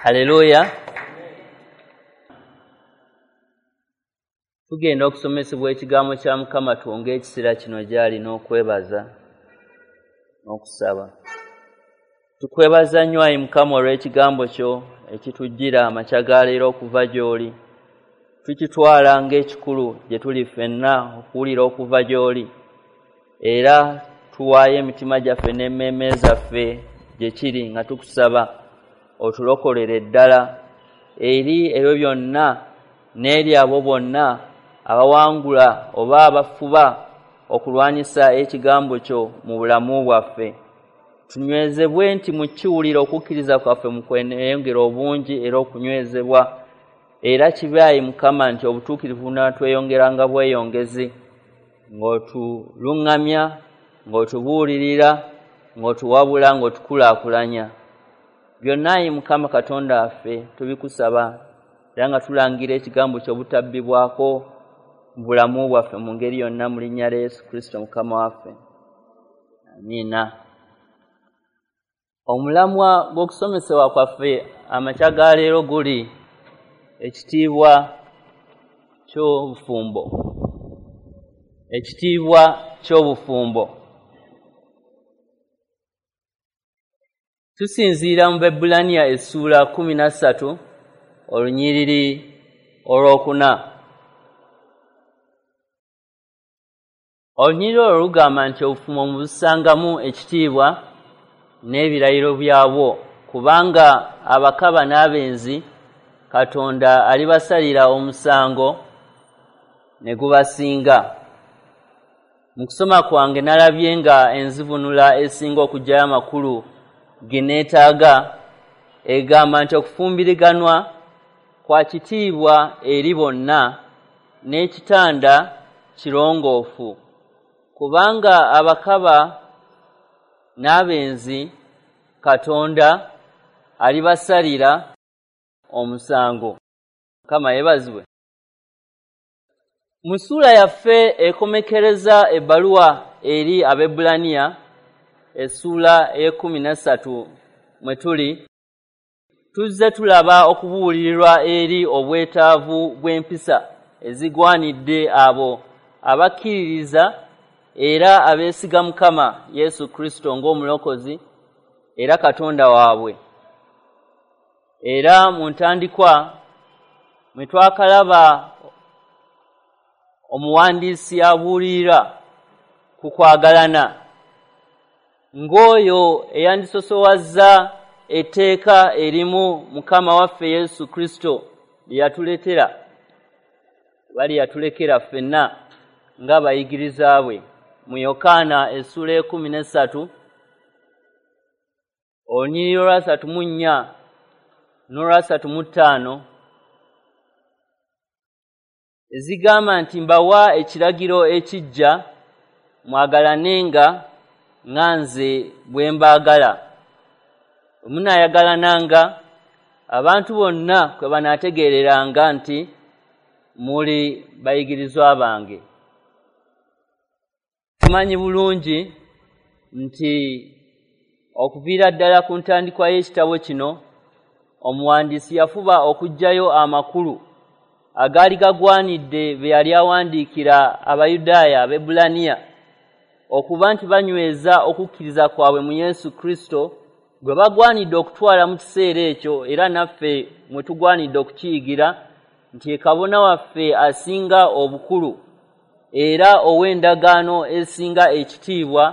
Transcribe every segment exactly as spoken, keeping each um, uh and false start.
Haleluya. Tugenda okusomesebwa ekigambo kya Mukama, twonge ekiseera kino gy'ali n'okwebaza n'okusaba. Tukwebaza nnyo ayi Mukama olw'ekigambo kyo ekitujjira amakya ga leero okuva gy'oli. Tukitwala ng'ekikulu gye tuli ffenna okuwulira okuva gy'oli, era tuwaayo emitima gyaffe n'emmeeme zaffe gye kiri nga tukusaba otulokolere ddala eri ebyo byonna n'eri abo bonna abawangula oba abafuba okulwanyisa ekigambo kyo mu bulamu bwaffe. Tunywezebwe nti mu kiwulira okukkiriza kwaffe mu kweyongera obungi era okunywezebwa, era kibe ayi Mukama nti obutuukirivu bunaatweyongeranga bweyongezi, ng'otuluŋŋamya, ng'otubuulirira, ng'otuwabula, ng'otukulaakulanya. Byonna ayi Mukama Katonda waffe tubikusaba, era nga tulangira ekigambo kyo obutabbibwako mu bulamu bwaffe mu ngeri yonna, mu linnya lya Yesu Kristo Mukama waffe. Amiina. Omulamwa gw'okusomesebwa kwaffe amakya ga leero guli ekitiibwa ky'obufumbo. Ekitiibwa ky'obufumbo. Tusinziira mu Baebbulaniya essuula kkumi na ssatu olunyiriri olwokuna. Olunyiriri olwo lugamba nti obufumbo mubussangamu ekitiibwa n'ebirayiro byabwo, kubanga abakaba n'abenzi Katonda alibasalira omusango ne gubasinga. Mu kusoma kwange nalabye nga enzivunula esinga okuggyayo amakulu ge neetaaga egamba nti okufumbiriganwa kwa kitiibwa eri bonna n'ekitanda kirongoofu, kubanga abakaba n'abenzi Katonda alibasalira omusango. Mukama yeebazibwe. Mu ssuula yaffe ekomekereza ebbaluwa eri Abaebbulaniya, essuula ey'ekkumi na ssatu mwe tuli, tuzze tulaba okubuulirirwa eri obwetaavu bw'empisa ezigwanidde abo abakkiririza era abeesiga Mukama Yesu Kristo ng'omulokozi era Katonda waabwe. Era mu ntandikwa mwe twakalaba omuwandiisi abuulirira ku kwagalana ng'oyo eyandisosowazza etteeka erimu Mukama waffe Yesu Kristo lye yatuleetera, oba lye yatulekera ffenna ng'abayigiriza bwe. Mu Yokaana essuula ekkumi n'essatu olunyiriri olwasatu mu nnya n'olwasatu mu ttaano ezigamba nti mbawa ekiragiro ekiggya, mwagalanenga nga nze bwe mbaagala. Bwe munaayagalananga, abantu bonna kwe banaategeereranga nti muli bayigirizwa bange. Tumanyi bulungi nti okuviira ddala ku ntandikwa y'ekitabo kino, omuwandiisi yafuba okuggyayo amakulu agaali gagwanidde be yali awandiikira Abayudaaya Abaebbulaniya okuba nti banyweza okukkiriza kwabwe mu Yesu Kristo gwe bagwanidde okutwala mu kiseera ekyo, era naffe mwe tugwanidde okukiyigira nti ye kabona waffe asinga obukulu era ow'endagaano esinga ekitiibwa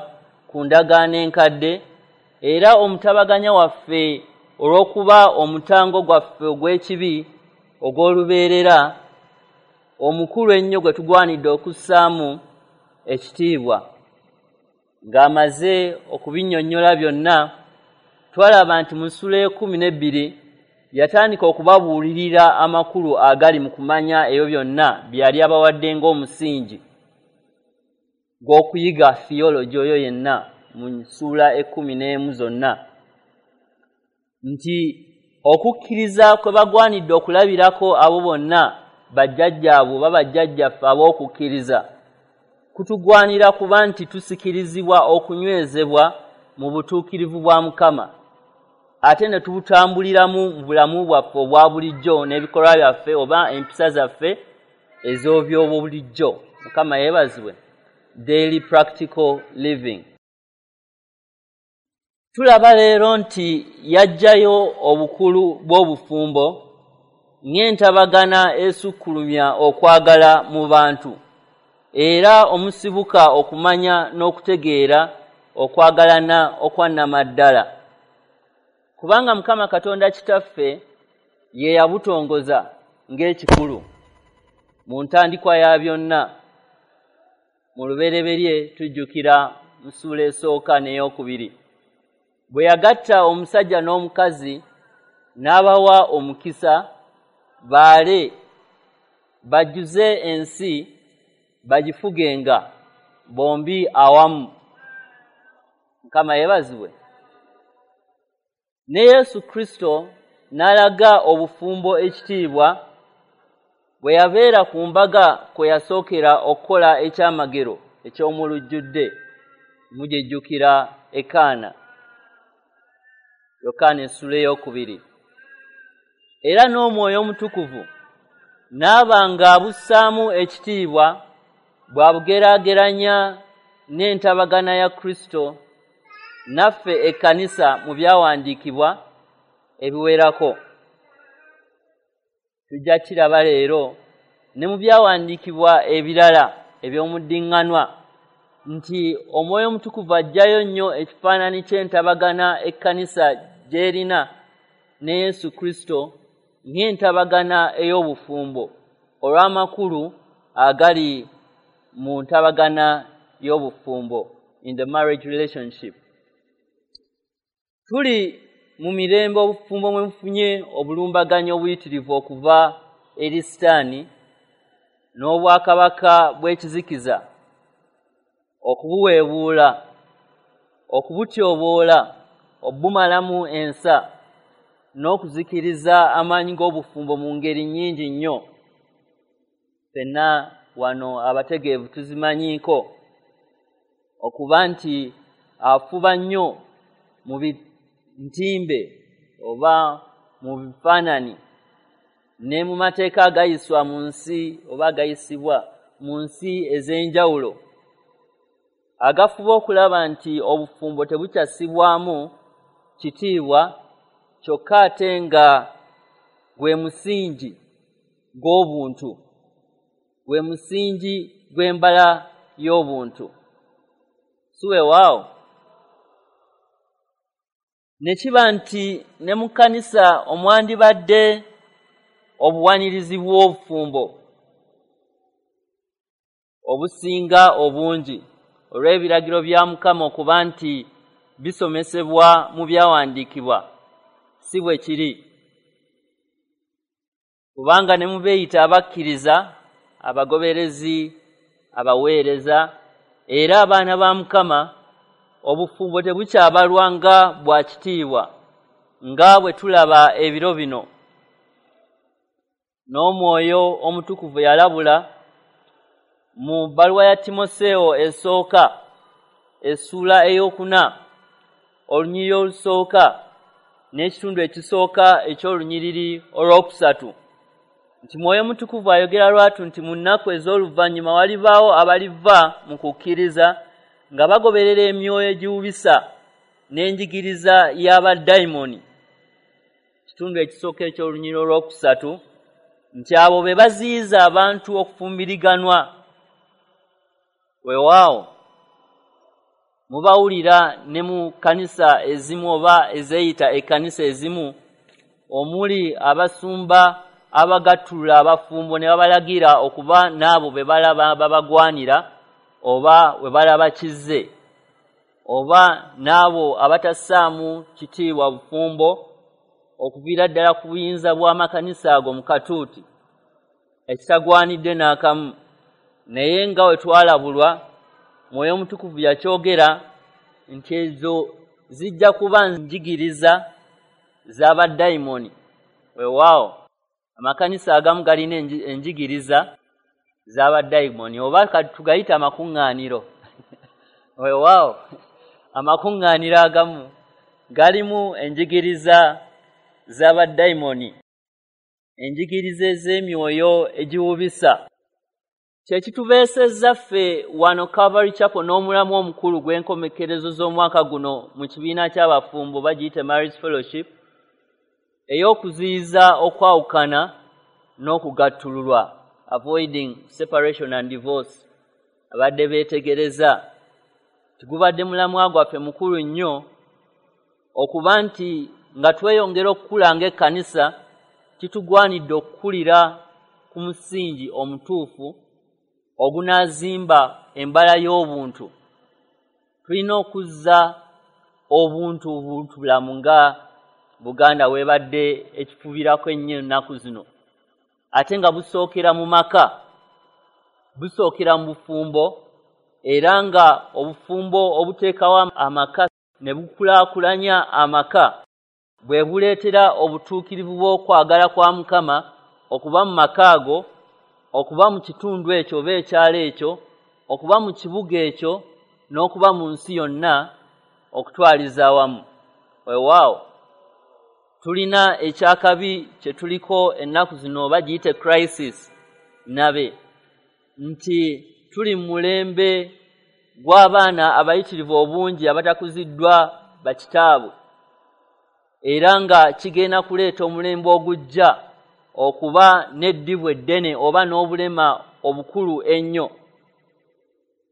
ku ndagaano enkadde, era omutabaganya waffe olw'okuba omutango gwaffe ogw'ekibi ogw'olubeerera omukulu ennyo gwe tugwanidde okussaamu ekitiibwa. Ng'amaze okubinnyonnyola byonna, twalaba nti mu ssuula ekkumi n'ebbiri yatandika okubabuulirira amakulu agali mu kumanya ebyo byonna bye yali abawadde ng'omusingi gw'okuyiga theology oyo yenna mu ssuula ekkumi n'emu zonna, nti okukkiriza kwe bagwanidde okulabirako abo bonna bajjajjaabwe oba bajjajjaffe ab'okukkiriza kutugwanira kuba nti tusikirizibwa okunywezebwa mu butuukirivu bwa Mukama. ate ne tubutambuliramu mu bulamu bwaffe obwa bulijjo n'ebikolwa byaffe oba empisa zaffe ez'obyobulijjo. Mukama yeebazibwe. Daily practical living. Tulaba leero nti yaggyayo obukulu bw'obufumbo ng'entabagana esukkulumya okwagala mu bantu, era omusibuka okumanya n'okutegeera okwagalana okwannamaddala. Kubanga Mukama Katonda Kitaffe ye yabutongoza ng'ekikulu mu ntandikwa ya byonna. Mu lubereberye tujjukira mu ssuula esooka n'eyokubiri, bwe yagatta omusajja n'omukazi n'abawa omukisa baale bajjuze ensi bagifugenga bombi awamu. Mukama yeebazibwe. Ne Yesu Kristo n'alaga obufumbo ekitiibwa bwe yabeera ku mbaga kwe yasookera okukola ekyamagero eky'omulujjudde. Mugijjukira e Kaana, Yokaana essuula ey'okubiri. Era n'Omwoyo Omutukuvu n'aba ng'abussaamu ekitiibwa bw'abugeraageranya n'entabagana ya Kristo naffe ekkanisa mu byawandiikibwa ebiwerako. Tujja kiraba leero ne mu byawandiikibwa ebirala eby'omuddiŋŋanwa nti Omwoyo Omutukuvu aggyayo nnyo ekifaananyi ky'entabagana ekkanisa gy'erina ne Yesu Kristo ng'entabagana ey'obufumbo olw'amakulu agali mu ntabagana y'obufumbo, in the marriage relationship. Tuli mu mirembe obufumbo mwe bufunye obulumbaganyi obuyitirivu okuva eri Sitaani n'obwakabaka bw'ekizikiza, okubuweebuula, okubutyoboola, obumalamu ensa n'okuzikiriza amaanyi g'obufumbo mu ngeri nnyingi nnyo. Ffenna wano abategeevu tuzimanyiiko okuba nti afuba nnyo mu ntimbe oba mu bifaananyi ne mu mateeka agayiswa mu nsi oba agayisibwa mu nsi ez'enjawulo, agafuba okulaba nti obufumbo tebukyassibwamu kitiibwa, kyokka ate nga gwe musingi gw'obuntu, gwe musingi gw'embala y'obuntu. Si weewaawo? Ne kiba nti ne mu kkanisa omwandibadde obuwanirizi bw'obufumbo obusinga obungi olw'ebiragiro bya Mukama okuba nti bisomesebwa mu byawandiikibwa, si bwe kiri. Kubanga ne mu beeyita abakkiriza, abagoberezi, abaweereza era abaana ba Mukama, obufumbo tebukyabalwa nga bwa kitiibwa nga bwe tulaba ebiro bino. N'Omwoyo Omutukuvu yalabula mu bbaluwa ya Timoseewo esooka essuula ey'okuna olunyiriri olusooka n'ekitundu ekisooka eky'olunyiriri olwokusatu nti Mwoyo Mutukuvu ayogera lwatu nti mu nnaku ez'oluvannyuma walibaawo abaliva mu kukkiriza nga bagoberera emyoyo egiwubisa n'enjigiriza y'abadayimoni. Kitundu ekisooka eky'olunyiriri olwokusatu nti abo be baziyiza abantu okufumbiriganwa. Weewaawo mubawulira ne mu kkanisa ezimu oba ezeeyita ekkanisa ezimu omuli abasumba abagattulula abafumbo ne babalagira okuba n'abo be balaba babagwanira oba we balaba kizze, oba n'abo abatassaamu kitiibwa bufumbo okuviira ddala ku buyinza bw'amakanisa ago mu katuuti ekitagwanidde n'akamu. Naye nga we twalabulwa, Mwoyo Omutukuvu yakyogera nti ezo zijja kuba njigiriza z'abadayimoni. Weewaawo amakanisa agamu galina enjigiriza z'abadayimoni, oba tugayita amakuŋŋaaniro. Weewaawo amakuŋŋaaniro agamu galimu enjigiriza z'abadayimoni, enjigiriza ez'emyoyo egiwubisa. Kye kitubeesezza ffe wano Calvary Chapel n'omulamu omukulu gw'enkomekerezo z'omwaka guno mu kibiina ky'abafumbo bagiyite Marriage Fellowship, ey'okuziyiza okwawukana n'okugattululwa, avoiding separation and divorce. Abadde beetegereza tigubadde mulamwa gwaffe mukulu nnyo okuba nti nga tweyongera okukula ng'ekkanisa kitugwanidde okukulira ku musingi omutuufu ogunaazimba embala y'obuntu. Tulina okuzza obuntu buntubulamu nga Buganda weebadde ekifubirako ennyo ennaku zino, ate nga busookera mu maka, busookera mu bufumbo, era nga obufumbo obuteekawo amaka ne bukulaakulanya amaka bwe buleetera obutuukirivu bw'okwagala kwa Mukama okuba mu maka ago, okuba mu kitundu ekyo oba ekyalo ekyo, okuba mu kibuga ekyo, n'okuba mu nsi yonna okutwaliza awamu. Weewaawo tulina ekyakabi kye tuliko ennaku zino oba giyite crisis nabe, nti tuli mu mulembe gw'abaana abayitirivu obungi abatakuziddwa bakitaabwe, era nga kigenda kuleeta omulembe ogujja okuba n'eddibu eddene oba n'obulema obukulu ennyo,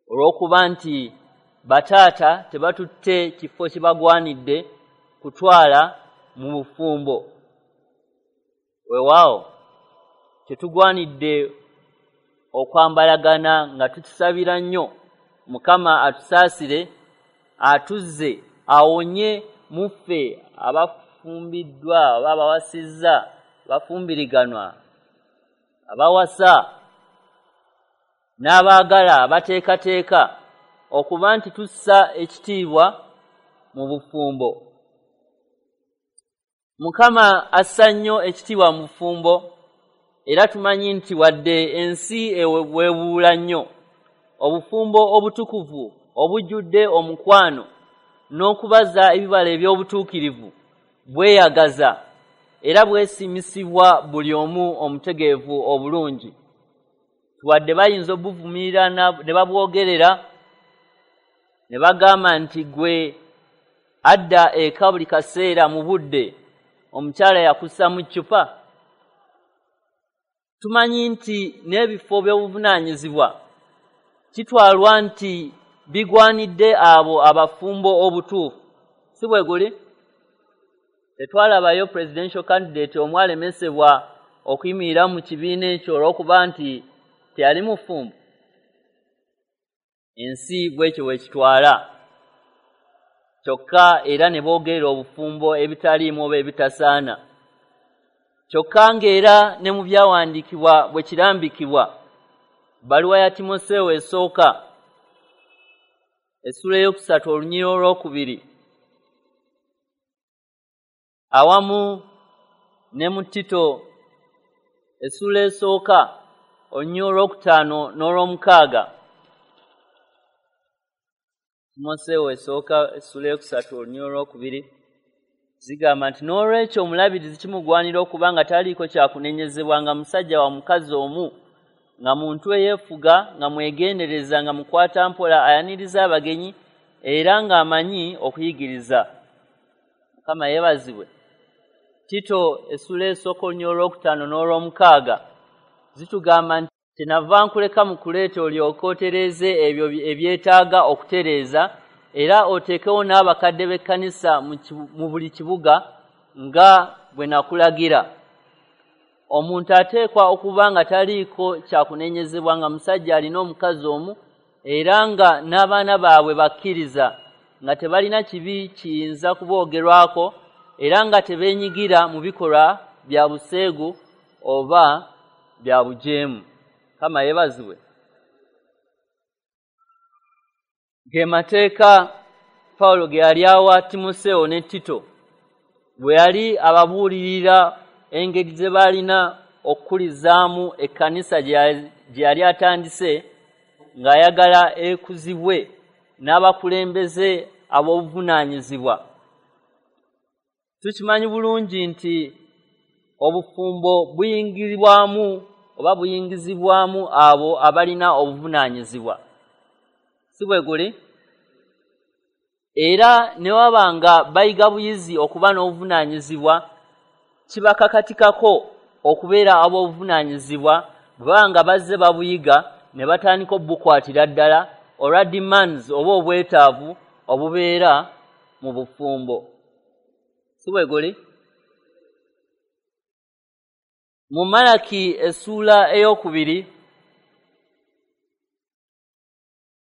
olw'okuba nti bataata tebatutte kifo kibagwanidde kutwala mu bufumbo. Weewaawo tetugwanidde okwambalagana nga tukisabira nnyo Mukama atusaasire, atuzze, awonye mu ffe abafumbiddwa oba abawasizza, abafumbiriganwa, abawasa n'abaagala abateekateeka okuba nti tussa ekitiibwa mu bufumbo. Mukama assa nnyo ekitiibwa mu bufumbo, era tumanyi nti wadde ensi eweebuula nnyo, obufumbo obutukuvu obujjudde omukwano n'okubaza ebibala eby'obutuukirivu bweyagaza era bwesiimisibwa buli omu omutegeevu obulungi. Wadde bayinza obuvumirira ne babwogerera ne bagamba nti gwe adda eka buli kaseera mu budde, omukyala yakussa mu ccupa. Tumanyi nti n'ebifo by'obuvunaanyizibwa kitwalwa nti bigwanidde abo abafumbo obutuufu, si bwe guli? Tetwalabayo presidential candidate omu alemesebwa okuyimirira mu kibiina ekyo olw'okuba nti teyali mufumbo. Ensi bwekyo bwekitwala, kyokka era ne boogerera obufumbo ebitaliimu oba ebitasaana. Kyokka ng'era ne mu byawandiikibwa bwe kirambikibwa, bbaluwa ya Timoseewo esooka essuula ey'okusatu olunyiriri olwokubiri awamu ne mu Tito essuula esooka olunyiriri olwokutaano n'olwomukaaga. Timoseewo esooka essuula ey'okusatu olunyiriri olwokubiri zigamba nti n'olwekyo omulabirizi kimugwanira okuba nga taliiko kyakunenyezebwa, nga musajja wa mukazi omu, nga muntu eyeefuga, nga mwegendereza, nga mukwata mpola, ayaniriza abagenyi, era ng'amanyi okuyigiriza. Mukama yeebazibwe. Tito essuula esooka olunyiriri olwokutaano n'olwomukaaga zitugamba nti kyenava nkuleka mu kuleeta olyoke otereeze ebyo ebyetaaga okutereeza, era oteekewo n'abakadde b'ekkanisa mu buli kibuga nga bwe nakulagira. Omuntu ateekwa okuba nga taliiko kyakunenyezebwa, nga musajja alina omukazi omu, era nga n'abaana baabwe bakkiriza, nga tebalina kibi kiyinza kuboogerwako, era nga tebeenyigira mu bikolwa bya buseegu oba bya bujeemu. Mukama yeebazibwe. Ge mateeka Pawulo ge yali awa Timoseewo ne Tito bwe yali ababuulirira engeri ze baalina okukulizaamu ekkanisa gye yali atandise, ng'ayagala ekuzibwe n'abakulembeze ab'obuvunaanyizibwa. Tukimanyi bulungi nti obufumbo buyingirwamu oba buyingizibwamu abo abalina obuvunaanyizibwa, si bwe guli? Era ne waba nga bayiga buyizi okuba n'obuvunaanyizibwa, kibakakatikako okubeera ab'obuvunaanyizibwa bwe baba nga bazze babuyiga ne batandika obukwatira ddala olwa demands oba obwetaavu obubeera mu bufumbo, si bwe guli? Mu Malaki essuula ey'okubiri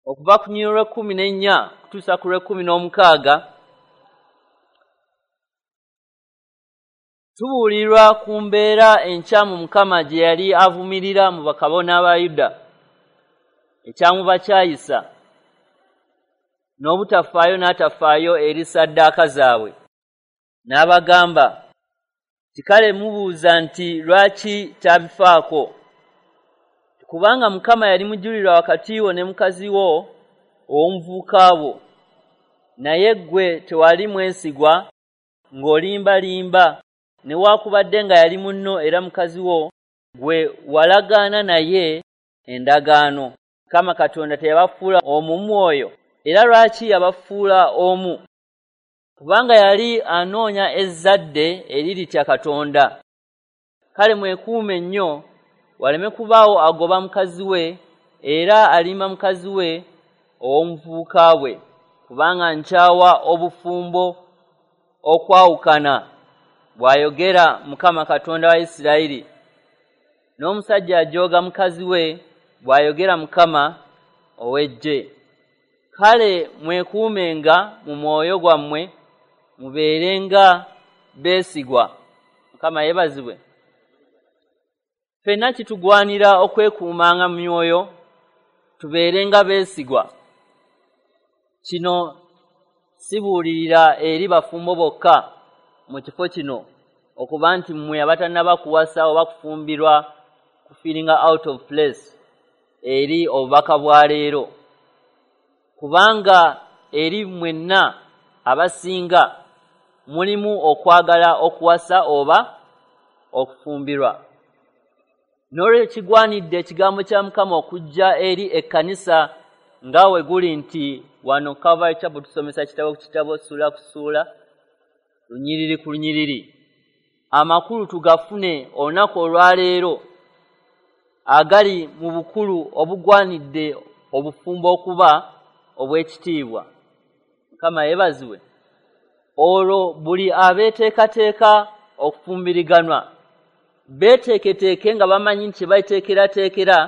okuva ku lunyiriri lw'ekkumi n'ennya kutuusa ku lw'ekkumi n'omukaaga tubuulirwa ku mbeera enkyamu Mukama gye yali avumirira mu bakabona ba Yuda, ekyamubakyayisa n'obutafaayo n'atafaayo eri ssaddaaka zaabwe. N'abagamba nti, kale mubuuza nti lwaki tabifaako? Kubanga Mukama yali mujulirwa wakati wo ne mukazi wo ow'omuvubuka bwo, naye ggwe tewali mwesigwa ng'olimbalimba, newaakubadde nga yali munno era mukazi wo gwe walagaana naye endagaano. Mukama Katonda teyabafuula omu mwoyo, era lwaki yabafuula omu? Kubanga yali anoonya ezzadde eriritya Katonda. Kale mwekuume nnyo waleme kubaawo agoba mukazi we era alimba mukazi we ow'omuvubuka bwe, kubanga nkyawa obufumbo okwawukana, bw'ayogera Mukama Katonda wa Isirayiri. N'omusajja ajooga mukazi we, bw'ayogera Mukama ow'eggye. Kale mwekuumenga mu mwoyo gwammwe, mubeerenga beesigwa. Mukama yeebazibwe. Ffenna kitugwanira okwekuumanga mu myoyo, tubeerenga beesigwa. Kino sibuulirira eri bafumbo bokka mu kifo kino, okuba nti mmwe abatannaba kuwasa oba kufumbirwa ku feeling out of place eri obubaka bwa leero, kubanga eri mwenna abasinga mulimu okwagala okuwasa oba okufumbirwa. N'olwekyo kigwanidde ekigambo kya Mukama okujja eri ekkanisa nga we guli nti wano Calvary Chapel tusomesa kitabo ku kitabo, ssuula ku ssuula, lunyiriri ku lunyiriri. Amakulu tugafune olunaku olwaleero agali mu bukulu obugwanidde obufumbo okuba obw'ekitiibwa. Mukama yeebazibwe. Olwo buli abeeteekateeka okufumbiriganwa beeteeketeeke nga bamanyi nti kye bateekerateekera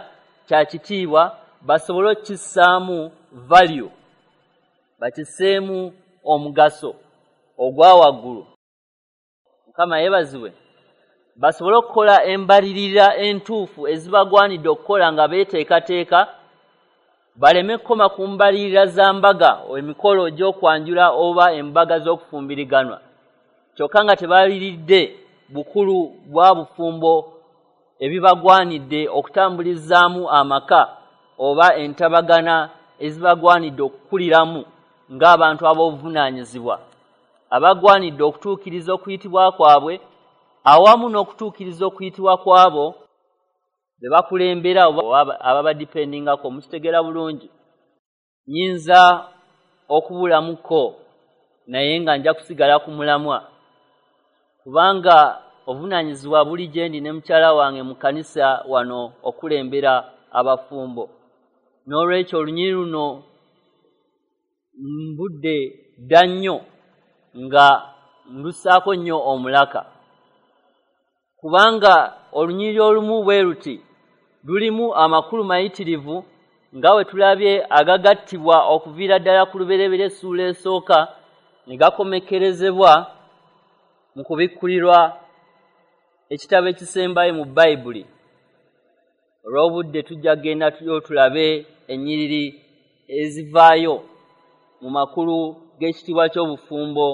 kya kitiibwa, basobole okukissaamu value, bakisseemu omugaso ogwa waggulu. Mukama yeebazibwe. Basobole okukola embalirira entuufu ezibagwanidde okukola nga beeteekateeka, baleme kukoma ku mbalirira za mbaga, emikolo gy'okwanjula oba embaga z'okufumbiriganwa, kyokka nga tebaliridde bukulu bwa bufumbo ebibagwanidde okutambulizaamu amaka oba entabagana ezibagwanidde okukuliramu ng'abantu ab'obuvunaanyizibwa, abagwanidde okutuukiriza okuyitibwa kwabwe awamu n'okutuukiriza okuyitibwa kwabo be bakulembera oba ababadipendingako. Mukitegeera bulungi. Nnyinza okubulamuko naye nga nja kusigala ku mulamwa, kubanga obuvunaanyizibwa buli gye ndi ne mukyala wange mu kkanisa wano okulembera abafumbo. N'olwekyo olunyiriri luno mbudde dda nnyo nga ndussaako nnyo omulaka, kubanga olunyiriri olumu bwe luti lulimu amakulu mayitirivu nga bwe tulabye agagattibwa okuviira ddala ku lubereberye essuula esooka ne gakomekkerezebwa mu kubikkulirwa ekitabo ekisembayo mu Bayibuli. Olw'obudde tujja kugenda tuyo tulabe ennyiriri ezivaayo mu makulu g'ekitiibwa ky'obufumbo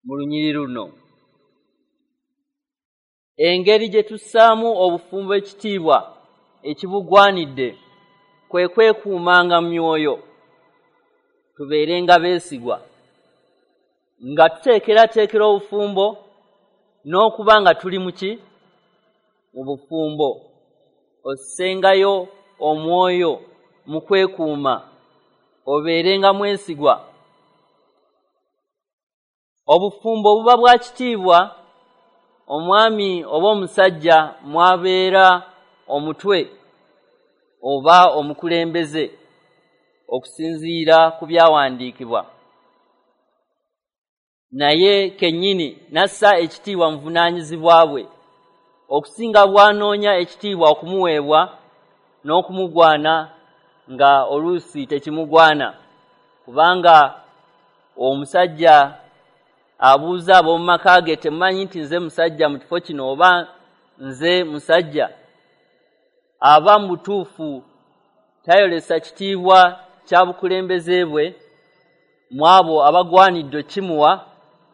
mu lunyiriri luno. Engeri gye tussaamu obufumbo ekitiibwa ekibugwanidde kwe kwekuumanga mu myoyo, tubeerenga beesigwa. nga tuteekerateekera obufumbo n'okuba nga tuli mu ki? Mu bufumbo. Ossengayo omwoyo mu kwekuuma, obeerenga mwesigwa. Obufumbo buba bwa kitiibwa, omwami oba omusajja mwabeera omutwe oba omukulembeze okusinziira ku byawandiikibwa. Naye kennyini n'assa ekitiibwa mu buvunaanyizibwa bwe, okusinga bw'anoonya ekitiibwa okumuweebwa n'okumugwana nga oluusi tekimugwana, kubanga omusajja abuuza ab'omu maka ge, temumanyi nti nze musajja mu kifo kino oba nze musajja? Aba mu butuufu tayolesa kitiibwa kya bukulembeze bwe mu abo abagwanidde okimuwa,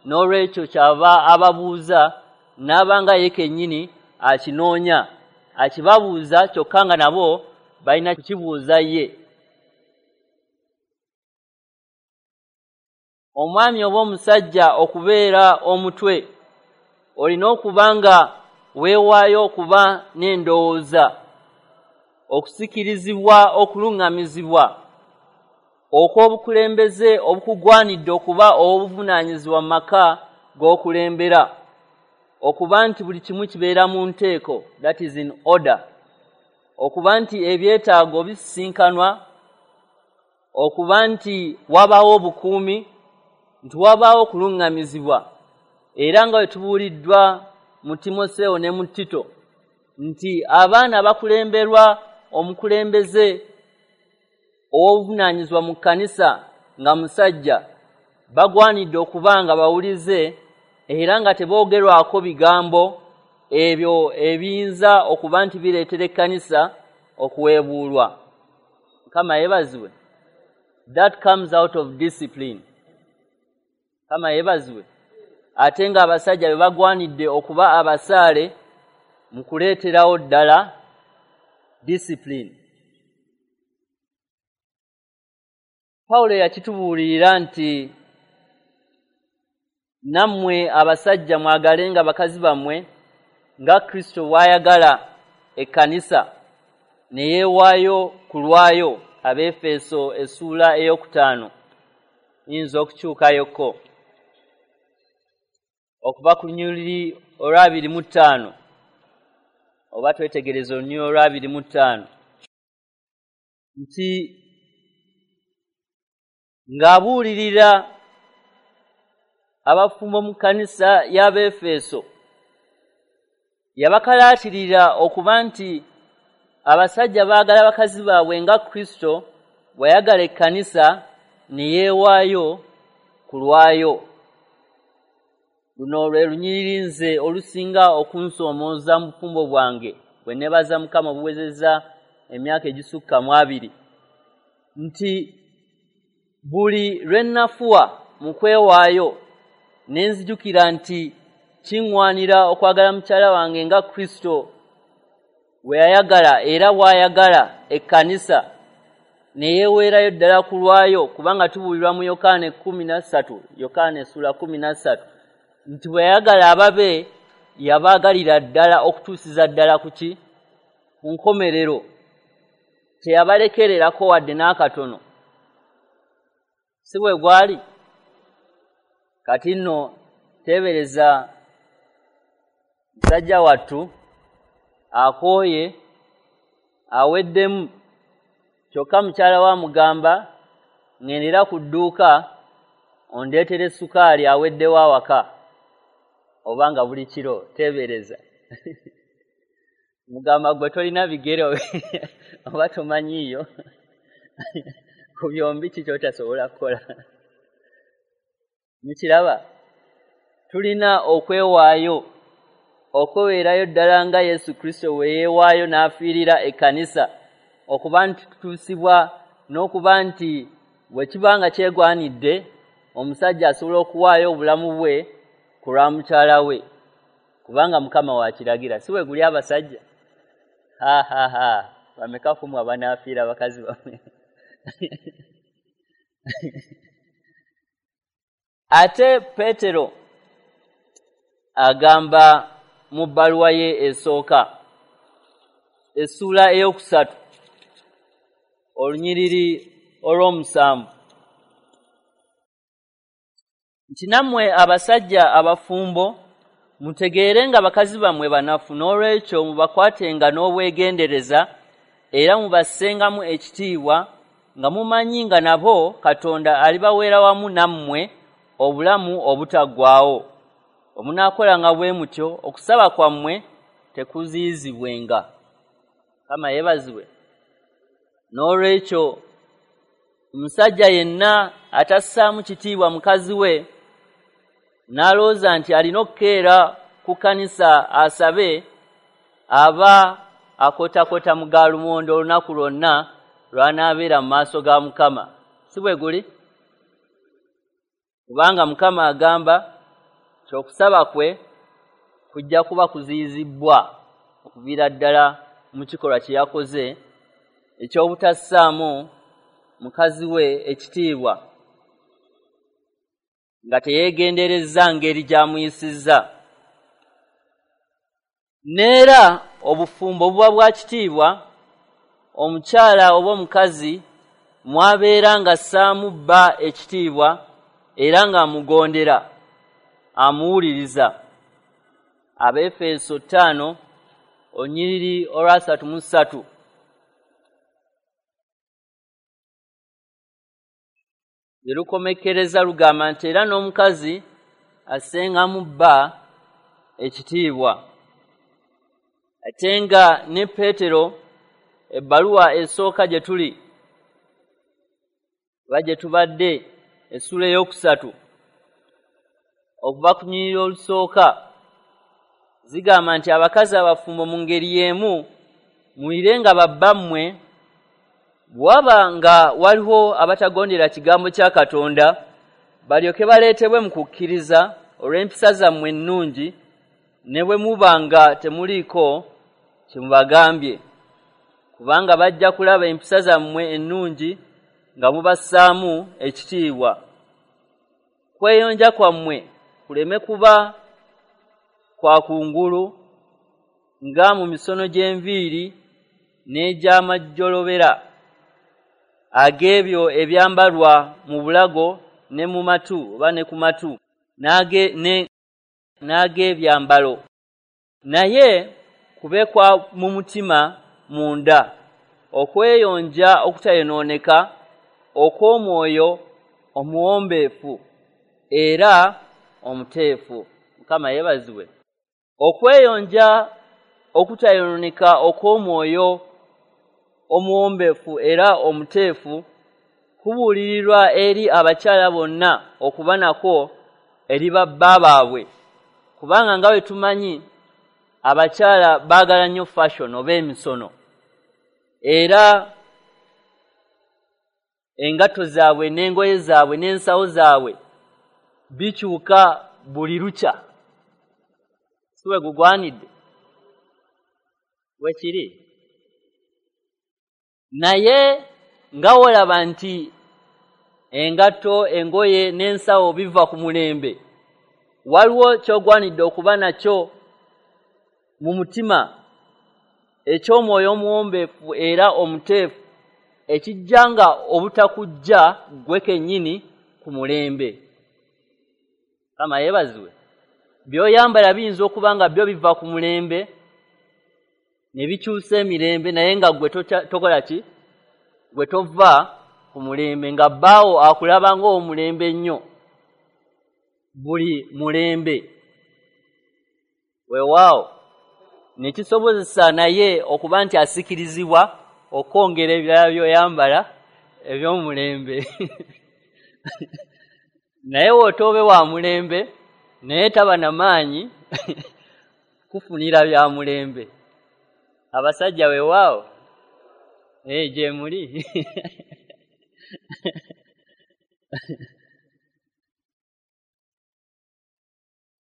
n'olwekyo kyava ababuuza n'aba nga ye kennyini akinoonya, akibabuuza kyokka nga nabo balina kukibuuza ye. Omwami oba omusajja okubeera omutwe, olina okuba nga weewaayo okuba n'endowooza, okusikirizibwa, okuluŋŋamizibwa okw'obukulembeze obukugwanidde okuba ow'obuvunaanyizibwa mu maka g'okulembera, okuba nti buli kimu kibeera mu nteeko, that is in order, okuba nti ebyetaago bisisinkanwa, okuba nti wabaawo obukuumi, nti wabaawo okuluŋŋamizibwa. Era nga bwe tubuuliddwa mu Timoseewo ne mu Tito nti abaana bakulemberwa omukulembeze ow'obuvunaanyizibwa mu kkanisa nga musajja, bagwanidde okuba nga bawulize era nga teboogerwako bigambo ebyo ebiyinza okuba nti bireetera ekkanisa okuweebuulwa. Mukama yeebazibwe. That comes out of discipline. Mukama yeebazibwe. Ate ng'abasajja be bagwanidde okuba abasaale mu kuleeterawo ddala discipline. Pawulo yakitubuulirira nti nammwe abasajja mwagalenga bakazi bammwe nga Kristo bw'ayagala ekkanisa ne yeewaayo ku lwayo. Abeefeso essuula ey'okutaano, yinza okukyukayoko okuva ku lunyiriri olw'abiri mu ttaano, oba twetegereza olunyiriri olw'abiri mu ttaano, nti ng'abuulirira abafumbo mu kkanisa y'Abeefeso, yabakalaatirira okuba nti abasajja baagala bakazi baabwe nga Kristo bw'ayagala ekkanisa ne yeewaayo ku lwayo. Luno lwe lunyiriri nze olusinga okunsoomooza mu bufumbo bwange bwe neebaza Mukama obuwezezza emyaka egisukka mu abiri, nti buli lwe nnafuwa mu kwewaayo ne nzijukira nti kiŋŋwanira okwagala mukyala wange nga Kristo bwe yayagala era bw'ayagala ekkanisa ne yeeweerayo ddala ku lwayo, kubanga tubuulirwa mu Yokaana ekkumi na ssatu, Yokaana essuula kkumi na ssatu, nti bwe yayagala ababe yabaagalira ddala okutuusiza ddala ku ki? Ku nkomerero. Teyabalekererako wadde n'akatono. Si bwe gwali? Kati nno teebereza musajja wattu akooye aweddemu, kyokka mukyala we amugamba ŋŋendera ku dduuka ondeetere sukaali aweddewo awaka, oba nga buli kiro. Teebereza mugamba gwe tolina bigere oba tomanyiiyo ku byombi ki ky'otasobola kukola. Mukiraba, tulina okwewaayo, okweweerayo ddala nga Yesu Kristo bwe yeewaayo n'afiirira ekkanisa, okuba nti tutuusibwa n'okuba nti bwe kiba nga kyegwanidde omusajja asobola okuwaayo obulamu bwe ku lwa mukyala we, kubanga Mukama wakiragira. Si bwe guli abasajja? Ha ha ha, bameka ku mmwe abanaafiira bakazi bammwe? Ate Peetero agamba mu bbaluwa ye esooka, essuula eyokusatu, olunyiriri olw'omusanvu, nti nammwe abasajja abafumbo mutegeere nga bakazi bammwe banafu, n'olwekyo mubakwatenga n'obwegendereza era mubassengamu ekitiibwa, nga mumanyi nga nabo Katonda alibaweera wamu nammwe obulamu obutaggwaawo. Omunaakolanga bwe mutyo, okusaba kwammwe tekuziyizibwenga. Mukama yeebazibwe. N'olwekyo omusajja yenna atassaamu kitiibwa mukazi we n'alowooza nti alina okukeera ku kkanisa asabe, aba akotakota mu gaalumondo olunaku lwonna lw'anaabeera mu maaso ga Mukama. Si bwe guli? Kubanga Mukama agamba nti okusaba kwe kujja kuba kuziyizibbwa okuviira ddala mu kikolwa kye yakoze eky'obutassaamu mukazi we ekitiibwa, nga teyeegenderezza ngeri gy'amuyisizza. N'era obufumbo buba bwa kitiibwa omukyala oba omukazi mwabeera ng'assaamu bba ekitiibwa era ng'amugondera, amuwuliriza. Abeefeso ttaano olunyiriri olwasatu mu ssatu. Lukomekkereza lugamba nti era n'omukazi assengamu bba ekitiibwa. Ate nga ne Peetero ebbaluwa esooka gye tuli oba gye tubadde, essuula ey'okusatu okuva ku lunyiriri olusooka, zigamba nti abakazi abafumbo mu ngeri y'emu muwulirenga babbammwe, bw'aba nga waliwo abatagondera kigambo kya Katonda, balyoke baleetebwe mu kukkiriza olw'empisa zammwe ennungi, ne bwe muba nga temuliiko kye mubagambye, kubanga bajja kulaba empisa zammwe ennungi nga mubassaamu ekitiibwa. Kweyonja kwammwe kuleme kuba kwa kungulu nga mu misono gy'enviiri n'egy'amajjolobera ag'ebyo ebyambalwa mu bulago ne mu matu oba ne ku matu n'ag'ebyambalo, naye kube kwa mu mutima munda, okweyonja okutayonooneka okw'omwoyo omuwombeefu era omuteefu. Mukama yeebazibwe. Okweyonja okutayonooneka okw'omwoyo omuwombeefu era omuteefu kubuulirirwa eri abakyala bonna okuba nakwo eri babba baabwe, kubanga nga bwe tumanyi abakyala baagala nnyo fashion oba emisono, era engatto zaabwe n'engoye zaabwe n'ensawo zaabwe bikyuka buli lukya. Si bwe gugwanidde? Bwe kiri. Naye nga wolaba nti engatto, engoye n'ensawo biva ku mulembe, waliwo ky'ogwanidde okuba nakyo mu mutima eky'omwoyo omuwombeefu era omuteefu, ekijja nga obutakujja ggwe kennyini ku mulembe. Mukama yeebazibwe. By'oyambala biyinza okuba nga byo biva ku mulembe ne bikyusa emirembe, naye nga ggwe tokola ki? Ggwe tova ku mulembe, nga bbaawo akulaba ng'omulembe nnyo buli mulembe. Weewaawo ne kisobozesa naye okuba nti asikirizibwa okwongera ebirala by'oyambala eby'omulembe. Naye w'otoobe wa mulembe, naye taba na maanyi kufunira bya mulembe. Abasajja weewaawo, ee gye muli.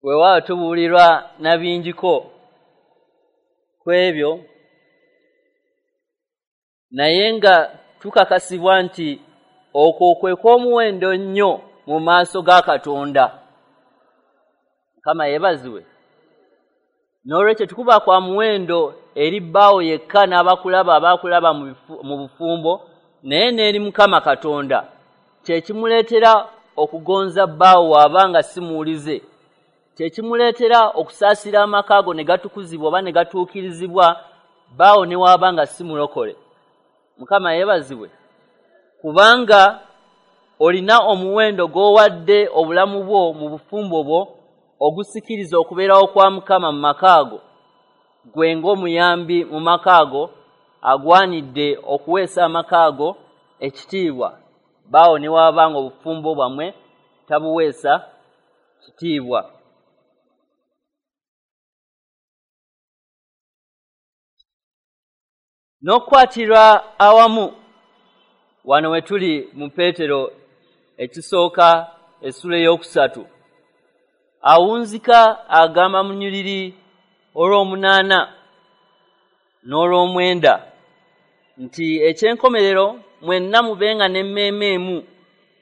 Weewaawo tubuulirwa na bingiko ku ebyo, naye nga tukakasibwa nti okwo kwe kw'omuwendo nnyo mu maaso ga Katonda. Mukama yeebazibwe. N'olwekyo tukuba kwa muwendo eri bbaawo yekka n'abakulaba abakulaba mu bufumbo, naye n'eri Mukama Katonda. Kye kimuleetera okugonza bbaawo waabanga si muwulize, kye kimuleetera okusaasira amaka ago ne gatukuzibwa oba ne gatuukirizibwa bbaawo ne waabanga si mulokole. Mukama yeebazibwe. Kubanga olina omuwendo gw'owadde obulamu bwo mu bufumbo bwo ogusikiriza okubeerawo kwa Mukama mu maka ago, gwe ng'omuyambi mu maka ago agwanidde okuweesa amaka ago ekitiibwa, bbaawo ne waabanga obufumbo bwammwe tabuweesa kitiibwa. N'okukwatirwa awamu, wano we tuli mu Peetero ekisooka essula ey'okusatu, awunzika agamba mu nnyiriri olw'omunaana n'olw'omwenda nti ekyenkomerero mwenna mubenga n'emmeeme emu,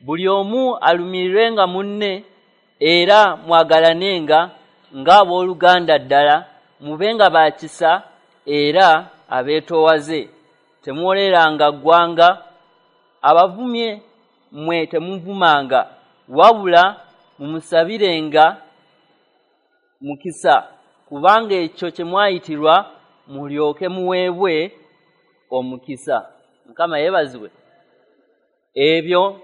buli omu alumirirwenga munne era mwagalanenga ng'abooluganda ddala, mubenga ba kisa era abeetoowaze, temuwoleranga ggwanga, abavumye mmwe temuvumanga, wabula mumusabirenga mukisa, kubanga ekyo kye mwayitirwa mulyoke muweebwe omukisa. Mukama yeebazibwe. Ebyo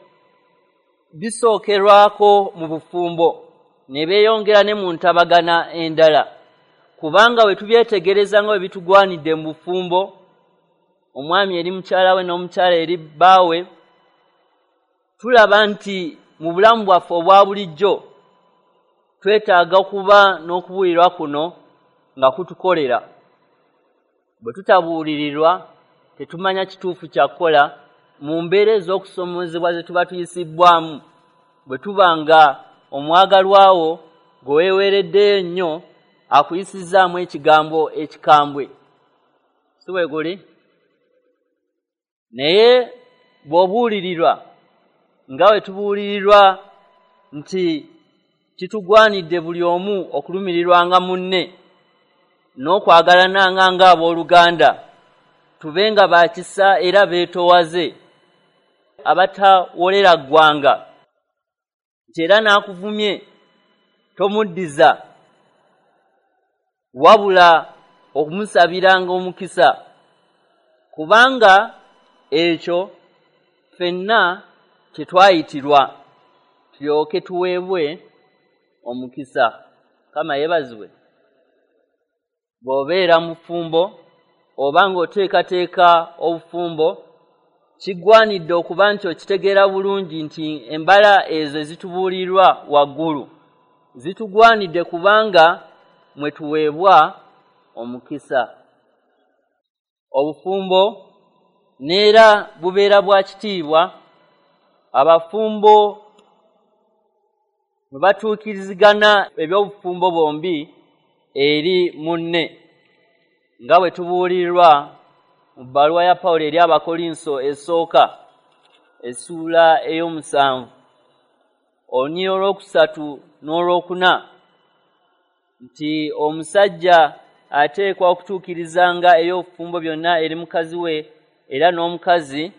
bisookerwako mu bufumbo ne beeyongera ne mu ntabagana endala, kubanga bwe tubyetegereza nga bwe bitugwanidde mu bufumbo, omwami eri mukyala we n'omukyala eri bbaawe, tulaba nti mu bulamu bwaffe obwa bulijjo twetaaga okuba n'okubuulirwa kuno nga kutukolera. Bwe tutabuulirirwa tetumanya kituufu kya kukola mu mbeera ez'okusomoozebwa ze tuba tuyisibbwamu. Bwe tuba nga omwagalwawo gwe weeweereddeyo ennyo akuyisizzaamu ekigambo ekikambwe, si bwe guli? Naye bw'obuulirirwa nga bwe tubuulirirwa nti kitugwanidde buli omu okulumirirwanga munne n'okwagalananga ng'abooluganda, tubenga ba kisa era beetoowaze, abatawolera ggwanga, nti era n'akuvumye tomuddiza, wabula okumusabiranga omukisa, kubanga ekyo ffenna kye twayitirwa tulyoke tuweebwe omukisa. Mukama yeebazibwe. Bw'obeera mu bufumbo oba ng'oteekateeka obufumbo, kigwanidde okuba nti okitegeera bulungi nti embala ezo ezitubuulirwa waggulu zitugwanidde, kubanga mwe tuweebwa omukisa. Obufumbo neera bubeera bwa kitiibwa. Abafumbo bwe batuukirizigana eby'obufumbo bombi eri munne, nga bwe tubuulirwa mu bbaluwa ya Pawulo eri Abakolinso esooka essuula ey'omusanvu olunyiriri olwokusatu n'olwokuna nti omusajja ateekwa okutuukirizanga eby'obufumbo byonna eri mukazi we, era n'omukazi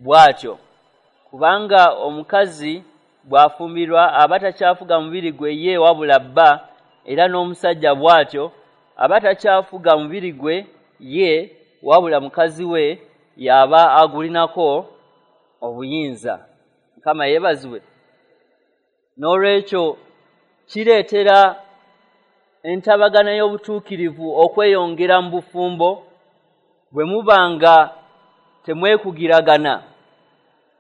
bw'atyo, kubanga omukazi bw'afumbirwa aba takyafuga mubiri gwe ye wabula bba, era n'omusajja bw'atyo aba takyafuga mubiri gwe ye wabula mukazi we y'aba agulinako obuyinza. Mukama yeebazibwe. N'olwekyo kireetera entabagana y'obutuukirivu okweyongera mu bufumbo bwe muba nga temwekugiragana,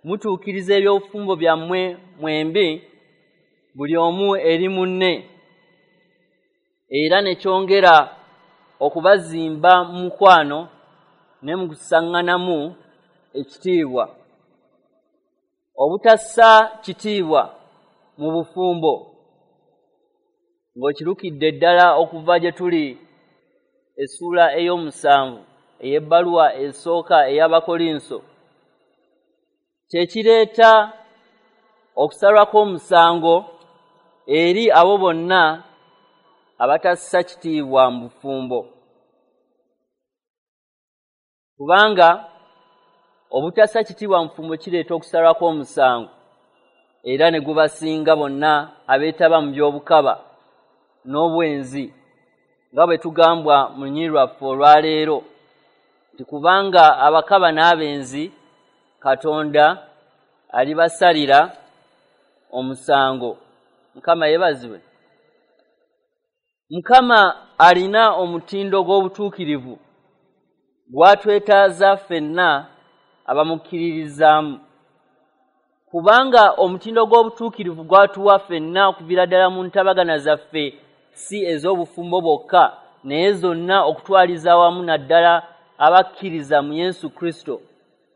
mutuukiriza eby'obufumbo byammwe mwembi buli omu eri munne, era ne kyongera okubazimba mu mukwano ne mu kusaŋŋanamu ekitiibwa. Obutassa kitiibwa mu bufumbo ng'okirukidde ddala okuva gye tuli essuula ey'omusanvu ey'ebbaluwa esooka ey'Abakolinso, kye kireeta okusalwa kw'omusango eri abo bonna abatassa kitiibwa mu bufumbo, kubanga obutassa kitiibwa mu bufumbo kireeta okusalwa kw'omusango, era ne gubasinga bonna abeetaba mu by'obukaba n'obwenzi, nga bwe tugambwa mu lunyiriri lwaffe olwaleero nti kubanga abakaba n'abenzi Katonda alibasalira omusango. Mukama yeebazibwe. Mukama alina omutindo gw'obutuukirivu gwatwetaaza ffenna abamukkiririzaamu, kubanga omutindo gw'obutuukirivu gwatuwa ffenna okuviira ddala mu ntabagana zaffe, si ez'obufumbo bwokka naye zonna okutwaliza awamu, naddala abakkiriza mu Yesu Kristo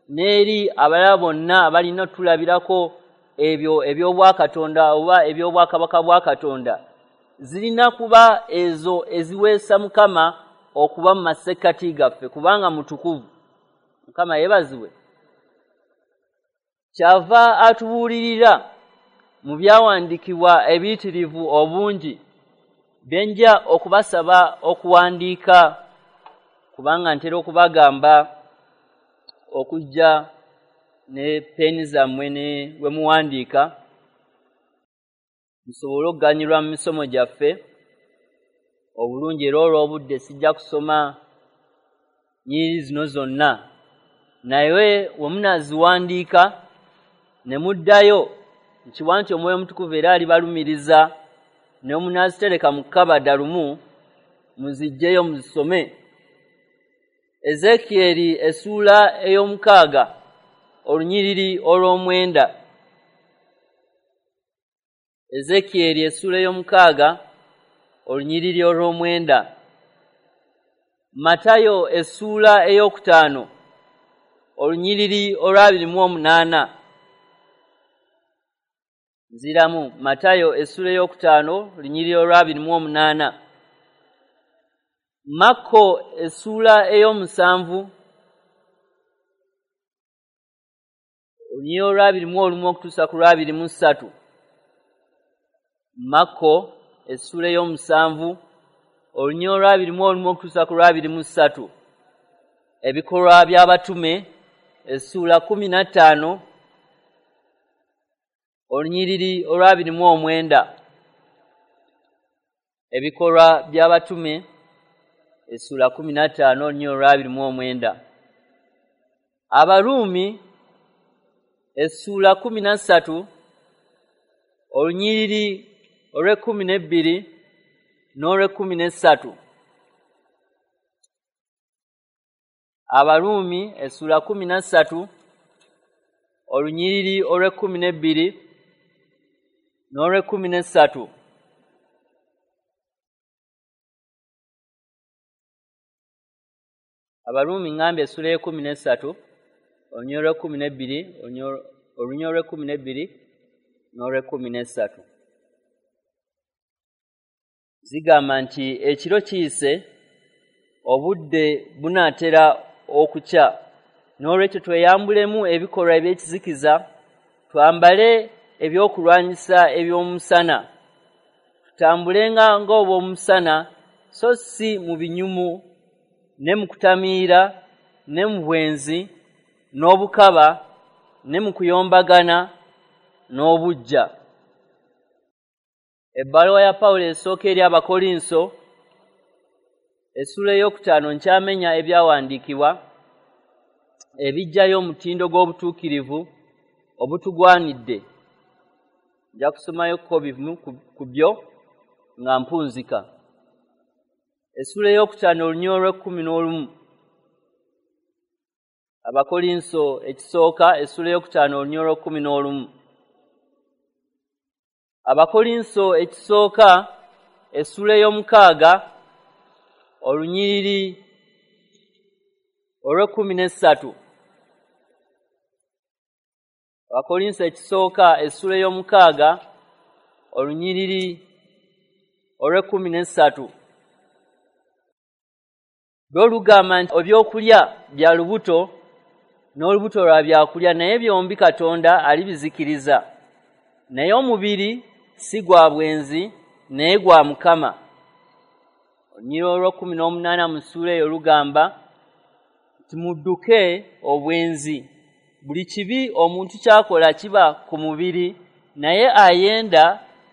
n'eri abalala bonna abalina otulabirako ebyo eby'obwakatonda oba eby'obwakabaka bwa Katonda. Zirina kuba ezo eziweesa Mukama okuba mu masekkati gaffe, kubanga mutukuvu. Mukama yeebazibwe. Kyava atubuulirira mu byawandiikibwa ebiyitirivu obungi bye nja okubasaba okuwandiika, kubanga ntera okubagamba okujja ne peni zammwe ne we muwandiika musobole okuganyulwa mu misomo gyaffe obulungi. Era olw'obudde sijja kusoma nnyiriri zino zonna, naye we munaaziwandiika ne muddayo, nkiwa nti Omwoyo Omutukuvu era alibalumiriza, ne munaazitereka mu kabada lumu muziggyeyo muzisome. Ezeekyeri essuula ey'omukaaga olunyiriri olw'omwenda. Ezeekyeri essuula ey'omukaaga olunyiriri olw'omwenda. Matayo essuula ey'okutaano olunyiriri olw'abiri mu omunaana. Nziramu Matayo essuula ey'okutaano olunyiriri olw'abiri mu omunaana. Makko essuula ey'omusanvu olunyiriri olw'abiri mu olumu okutuusa ku lw'abiri mu ssatu. Makko essuula ey'omusanvu olunyiriri olw'abiri mu olumu okutuusa ku lw'abiri mu ssatu. Ebikolwa by'Abatume essuula kkumi na ttaano olunyiriri olw'abiri mu omwenda. Ebikolwa by'Abatume essuula kkumi na ttaano olunyiriri olw'abiri mu omwenda. Abaruumi essuula kkumi na ssatu olunyiriri olw'ekkumi n'ebbiri n'olw'ekkumi n'essatu. Abaruumi essuula kkumi na ssatu olunyiriri olw'ekkumi n'ebbiri n'olw'ekkumi n'essatu. Abaruumi ngambye essuula y'ekkumi n'essatu olunyiriri olw'ekkumi n'ebbiri olunyiriri olw'ekkumi n'ebbiri n'olw'ekkumi n'essatu. Zigamba nti ekiro kiyise, obudde bunaatera okukya, n'olwekyo tweyambulemu ebikolwa eby'ekizikiza, twambale ebyokulwanyisa eby'omusana, tutambulenga ng'obw'omusana, so si mu binyumu ne mu kutamiira ne mu bwenzi n'obukaba ne mu kuyombagana n'obuggya. Ebbaluwa ya Pawulo esooka eri Abakolinso essuula ey'okutaano nkyamenya ebyawandiikibwa ebiggyayo omutindo gw'obutuukirivu obutugwanidde. Nja kusomayokko bimu ku byo nga mpunzika. Essuula ey'okutaano olunyiriri olw'ekkumi n'olumu. Abakolinso ekisooka essuula ey'okutaano olunyiriri olw'ekkumi n'olumu. Abakolinso ekisooka essuula ey'omukaaga olunyiriri olw'ekkumi n'essatu. Abakolinso ekisooka essuula ey'omukaaga olunyiriri olw'ekkumi n'essatu. Lwo lugamba nti ebyokulya bya lubuto n'olubuto lwa byakulya, naye byombi Katonda alibizikiriza. Naye omubiri si gwa bwenzi, naye gwa Mukama. Olunyiriri olw'ekkumi n'omunaana mu ssuula eyo lugamba nti mudduke obwenzi. Buli kibi omuntu ky'akola kiba ku mubiri, naye ayenda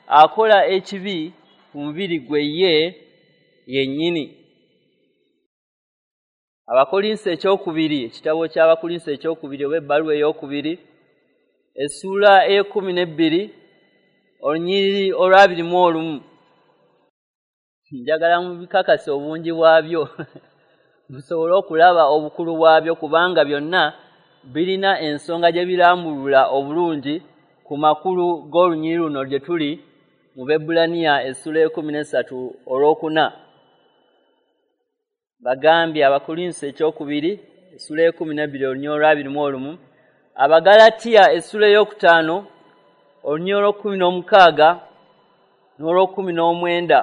akola ekibi ku mubiri gwe ye yennyini. Abakolinso ekyokubiri, ekitabo ky'Abakolinso ekyokubiri oba ebbaluwa ey'okubiri, essuula ey'ekkumi n'ebbiri, olunyiriri olw'abiri mu olumu. Njagala mubikakase obungi bwabyo musobole okulaba obukulu bwabyo, kubanga byonna birina ensonga gye birambulula obulungi ku makulu g'olunyiriri luno gye tuli mu Baebbulaniya essuula ey'ekkumi n'essatu olwokuna. Bagambye Abakolinso ekyokubiri essuula ey'ekkumi n'ebbiri olunyiriri olw'abiri mu olumu, Abagalatiya essuula ey'okutaano olunyiriri olw'ekkumi n'omukaaga n'olw'ekkumi n'omwenda.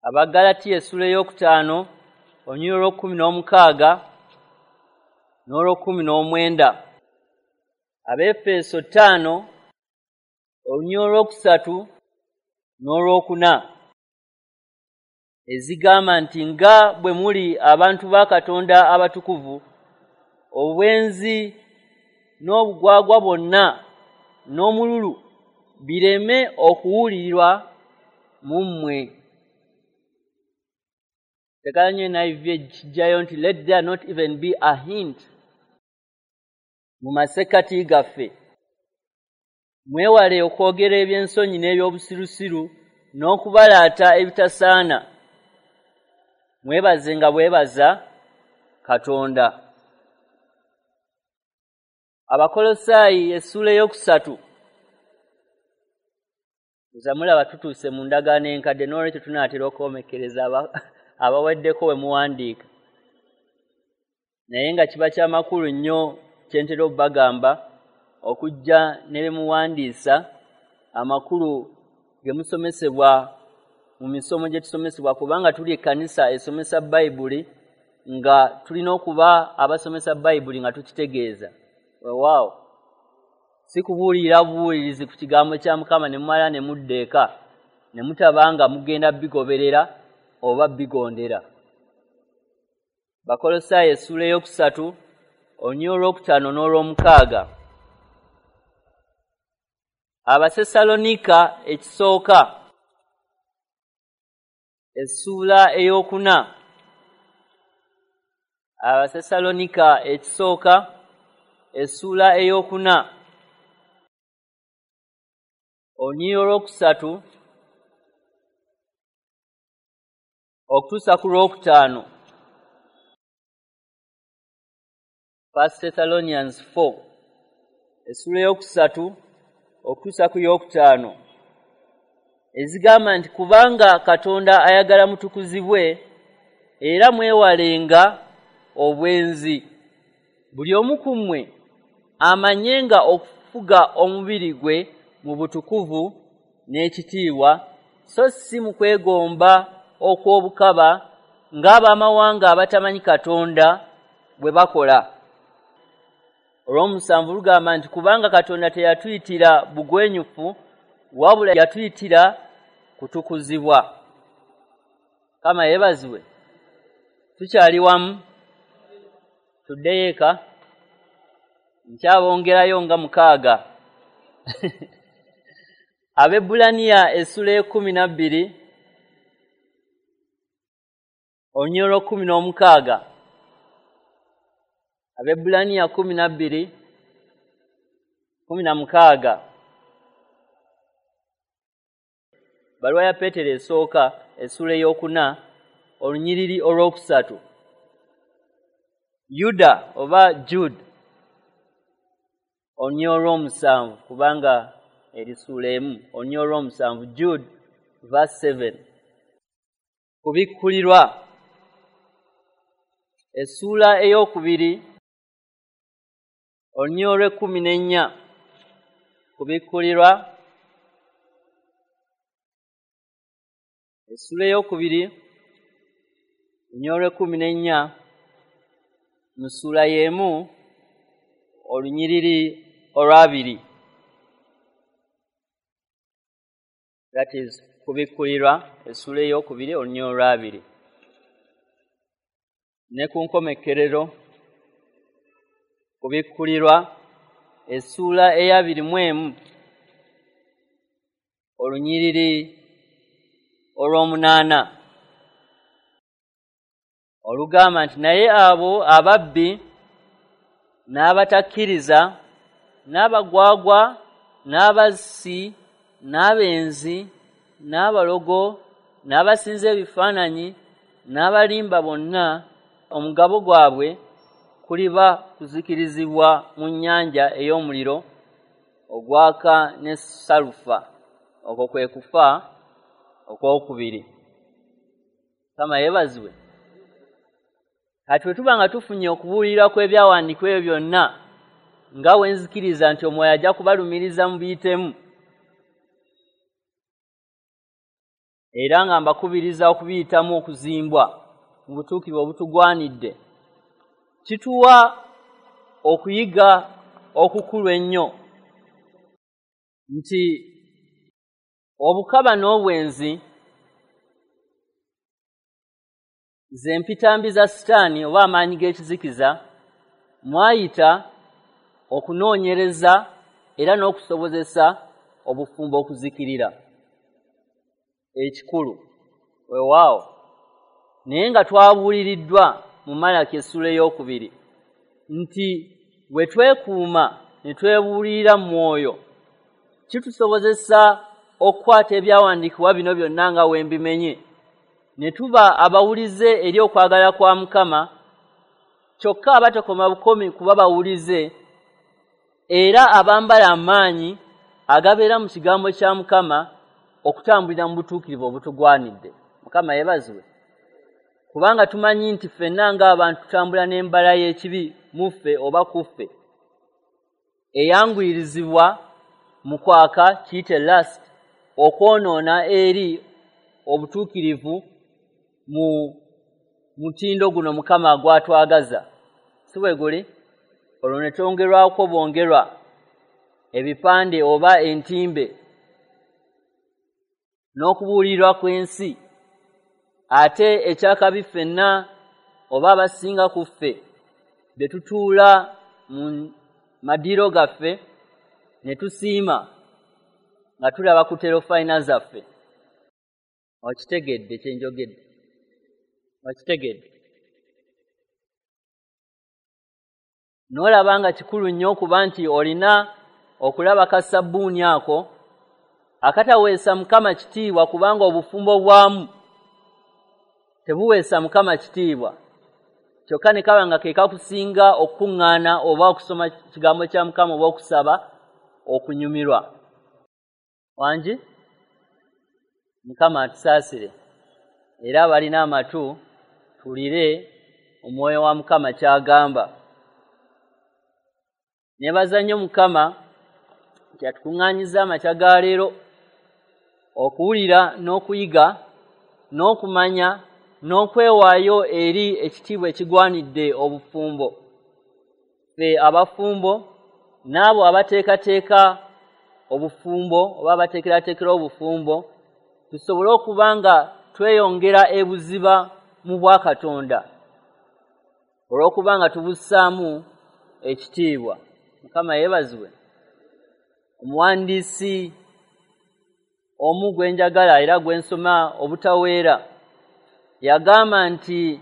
Abagalatiya essuula ey'okutaano olunyiriri olw'ekkumi n'omukaaga n'olw'ekkumi n'omwenda. Abeefeso ttaano olunyiriri olwokusatu n'olwokuna, ezigamba nti nga bwe muli abantu ba Katonda abatukuvu, obwenzi n'obugwagwa bwonna n'omululu bireme okuwulirwa mu mmwe. Njagala nnyo N I V ekijjayo nti let there not even be a hint mu masekkati gaffe. Mwewale okwogera eby'ensonyi n'ebyobusirusiru n'okubalaata ebitasaana. Mwebaze nga bwebaza Katonda. Abakolosaayi essuula ey'okusatu. Mulaba tutuuse mu ndagaano enkadde, n'olwekyo tunaatera okwomekereza abaweddeko we muwandiika. Naye nga kiba kyamakulu nnyo kye ntera okubagamba okujja ne bye muwandiisa amakulu ge musomesebwa mu misomo gye tusomesebwa, kubanga tuli ekkanisa esomesa Bayibuli, nga tulina okuba abasomesa Bayibuli nga tukitegeeza. Weewaawo, si kubuulirira bubuulirizi ku kigambo kya Mukama ne mumala ne mudda eka ne mutaba nga mugenda bigoberera oba bigondera. Bakolosaayi essuula ey'okusatu olunyiriri olwokutaano n'olwomukaaga. Abasesalonika ekisooka essuula ey'okuna. Abasesalonika ekisooka essuula ey'okuna olunyiriri olwokusatu okutuusa ku lwokutaano. First Thessalonians four essuula ey'okusatu okutuusa ku yokutaano, ezigamba nti kubanga Katonda ayagala mutukuzibwe era mwewalenga obwenzi. Buli omu ku mmwe amanyenga okufuga omubiri gwe mu butukuvu n'ekitiibwa, so si mu kwegomba okw'obukaba ng'abamawanga abatamanyi Katonda bwe bakola. Olw'omusanvu lugamba nti kubanga Katonda teyatuyitira bugwenyufu, wabula yatuyitira kutukuzibwa. Kama yeebazibwe. Tukyali wamu, tuddeyo eka, nkyabongerayo nga mukaaga. Abaebbulaniya essuula ey'ekkumi na bbiri olunyiriri olw'ekkumi n'omukaaga. Abaebbulaniya kkumi na bbiri kkumi na mukaaga. Baluwa ya Peetero esooka essuula ey'okuna olunyiriri olwokusatu. Yuda oba Jude olunyiriri olw'omusanvu, kubanga eri ssuula emu, olunyiriri olw'omusanvu, Jude verse seven. Kubikkulirwa essuula ey'okubiri olunyiriri olw'ekkumi n'ennya. Kubikkulirwa essuula ey'okubiri olunyiriri olw'ekkumi n'ennya, mu ssuula y'emu olunyiriri olw'abiri. That is Kubikkulirwa essuula ey'okubiri olunyiriri olwabiri. Ne ku nkomekkerero Kubikkulirwa essuula ey'abiri mu emu olunyiriri olw'omunaana olugamba nti naye abo ababbi n'abatakkiriza n'abagwagwa n'abassi n'abenzi n'abalogo n'abasinza ebifaananyi n'abalimba bonna omugabo gwabwe kuliba kuzikirizibwa mu nnyanja ey'omuliro ogwaka ne salufa. Okwo kwe kufa okwokubiri. Mukama yeebazibwe. Kati bwe tuba nga tufunye okubuulirira kw'ebyawandiikibwa ebyo byonna nga bwe nzikiriza nti Omwoyo ajja kubalumiriza mubiyitemu, era nga mbakubiriza okubiyitamu okuzimbwa mu butuukirivu obutugwanidde, kituwa okuyiga okukulu ennyo nti obukaba n'obwenzi ze mpitambi za Sitaani oba amaanyi g'ekizikiza mwayita okunoonyereza era n'okusobozesa obufumbo okuzikirira. Ekikulu weewaawo, naye nga twabuuliriddwa mu Malaki essuula ey'okubiri nti bwe twekuuma ne twebuulirira mu mwoyo kitusobozesa okukwata ebyawandiikibwa bino byonna nga we mbimenye, ne tuba abawulize eri okwagala kwa Mukama, kyokka abatakoma bukomi kuba bawulize era abambala amaanyi agabeera mu kigambo kya Mukama okutambulira mu butuukirivu obutugwanidde. Mukama yeebazibwe. Kubanga tumanyi nti ffenna ng'abantu tutambula n'embala y'ekibi mu ffe oba ku ffe eyanguyirizibwa mu kwaka, kiyite lust, okwonoona eri obutuukirivu mu mutindo guno Mukama gw'atwagaza. Si bwe guli? Olwo ne twongerwako bwongerwa ebipande oba entimbe n'okubuulirwa kw'ensi. Ate ekyakabi ffenna oba abasinga ku ffe bye tutuula mu madiiro gaffe ne tusiima nga tulaba ku terofayina zaffe. Okitegedde kye njogedde? Okitegedde? N'olaba nga kikulu nnyo okuba nti olina okulaba ka sabbuuni ako akataweesa Mukama kitiibwa, kubanga obufumbo bwamu tebuweesa Mukama kitiibwa, kyokka ne kaba nga ke kakusinga okukuŋŋaana oba okusoma kigambo kya Mukama oba okusaba okunyumirwa. Wangi? Mukama atusaasire, era abalina amatu tuwulire Omwoyo wa Mukama ky'agamba. Neebaza nnyo Mukama nti atukuŋŋaanyizza amakya ga leero okuwulira n'okuyiga n'okumanya n'okwewaayo eri ekitiibwa ekigwanidde obufumbo. Ffe abafumbo n'abo abateekateeka obufumbo oba abateekerateekera obufumbo tusobole okuba nga tweyongera ebuziba mu bwakatonda olw'okuba nga tubussaamu ekitiibwa. Mukama yeebazibwe. Omuwandiisi omu gwe njagala era gwe nsoma obutaweera yagamba nti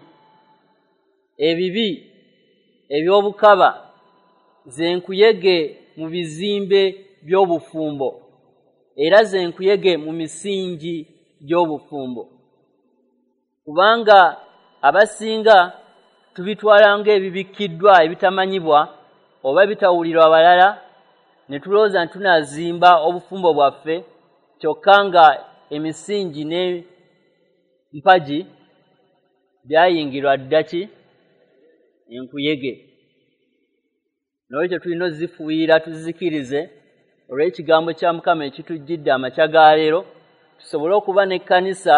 ebibi eby'obukaba ze nkuyege mu bizimbe by'obufumbo era ze nkuyege mu misingi gy'obufumbo, kubanga abasinga tubitwala ng'ebibikkiddwa ebitamanyibwa oba ebitawulirwa balala, ne tulowooza nti tunaazimba obufumbo bwaffe, kyokka nga emisingi n'empagi byayingirwa dda ki enkuyege. N'olwekyo tulina ozifuuyira tuzikirize olw'ekigambo kya Mukama ekitujjidde amakya ga leero, tusobole okuba n'ekkanisa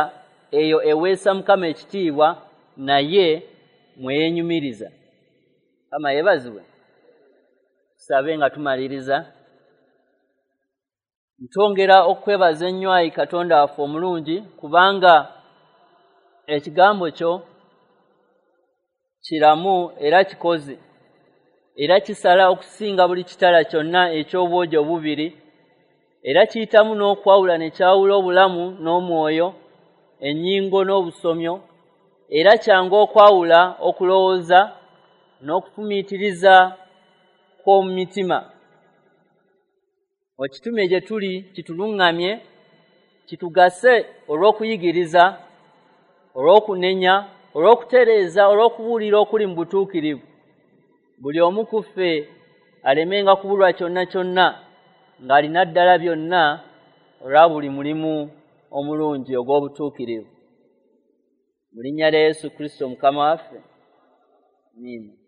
eyo eweesa Mukama ekitiibwa naye mweyeenyumiriza. Mukama yeebazibwe. Tusabe nga tumaliriza. Ntongera okwebaza ennyo ayi Katonda waffe omulungi, kubanga ekigambo kyo kiramu era kikozi, era kisala okusinga buli kitala kyonna eky'obwogi obubiri, era kiyitamu n'okwawula ne kyawula obulamu n'omwoyo, ennyingo n'obusomyo, era kyangu okwawula okulowooza n'okufumiitiriza kw'omu mitima. Okitume gye tuli kituluŋŋamye, kitugase olw'okuyigiriza, olw'okunenya, olw'okutereeza, olw'okubuulira okuli mu butuukirivu. Buli omu ku ffe alemenga kubulwa kyonna kyonna, ng'alina ddala byonna olwa buli mulimu omulungi ogw'obutuukirivu. Mu linnya lya Yesu Kristo Mukama waffe. Amiina.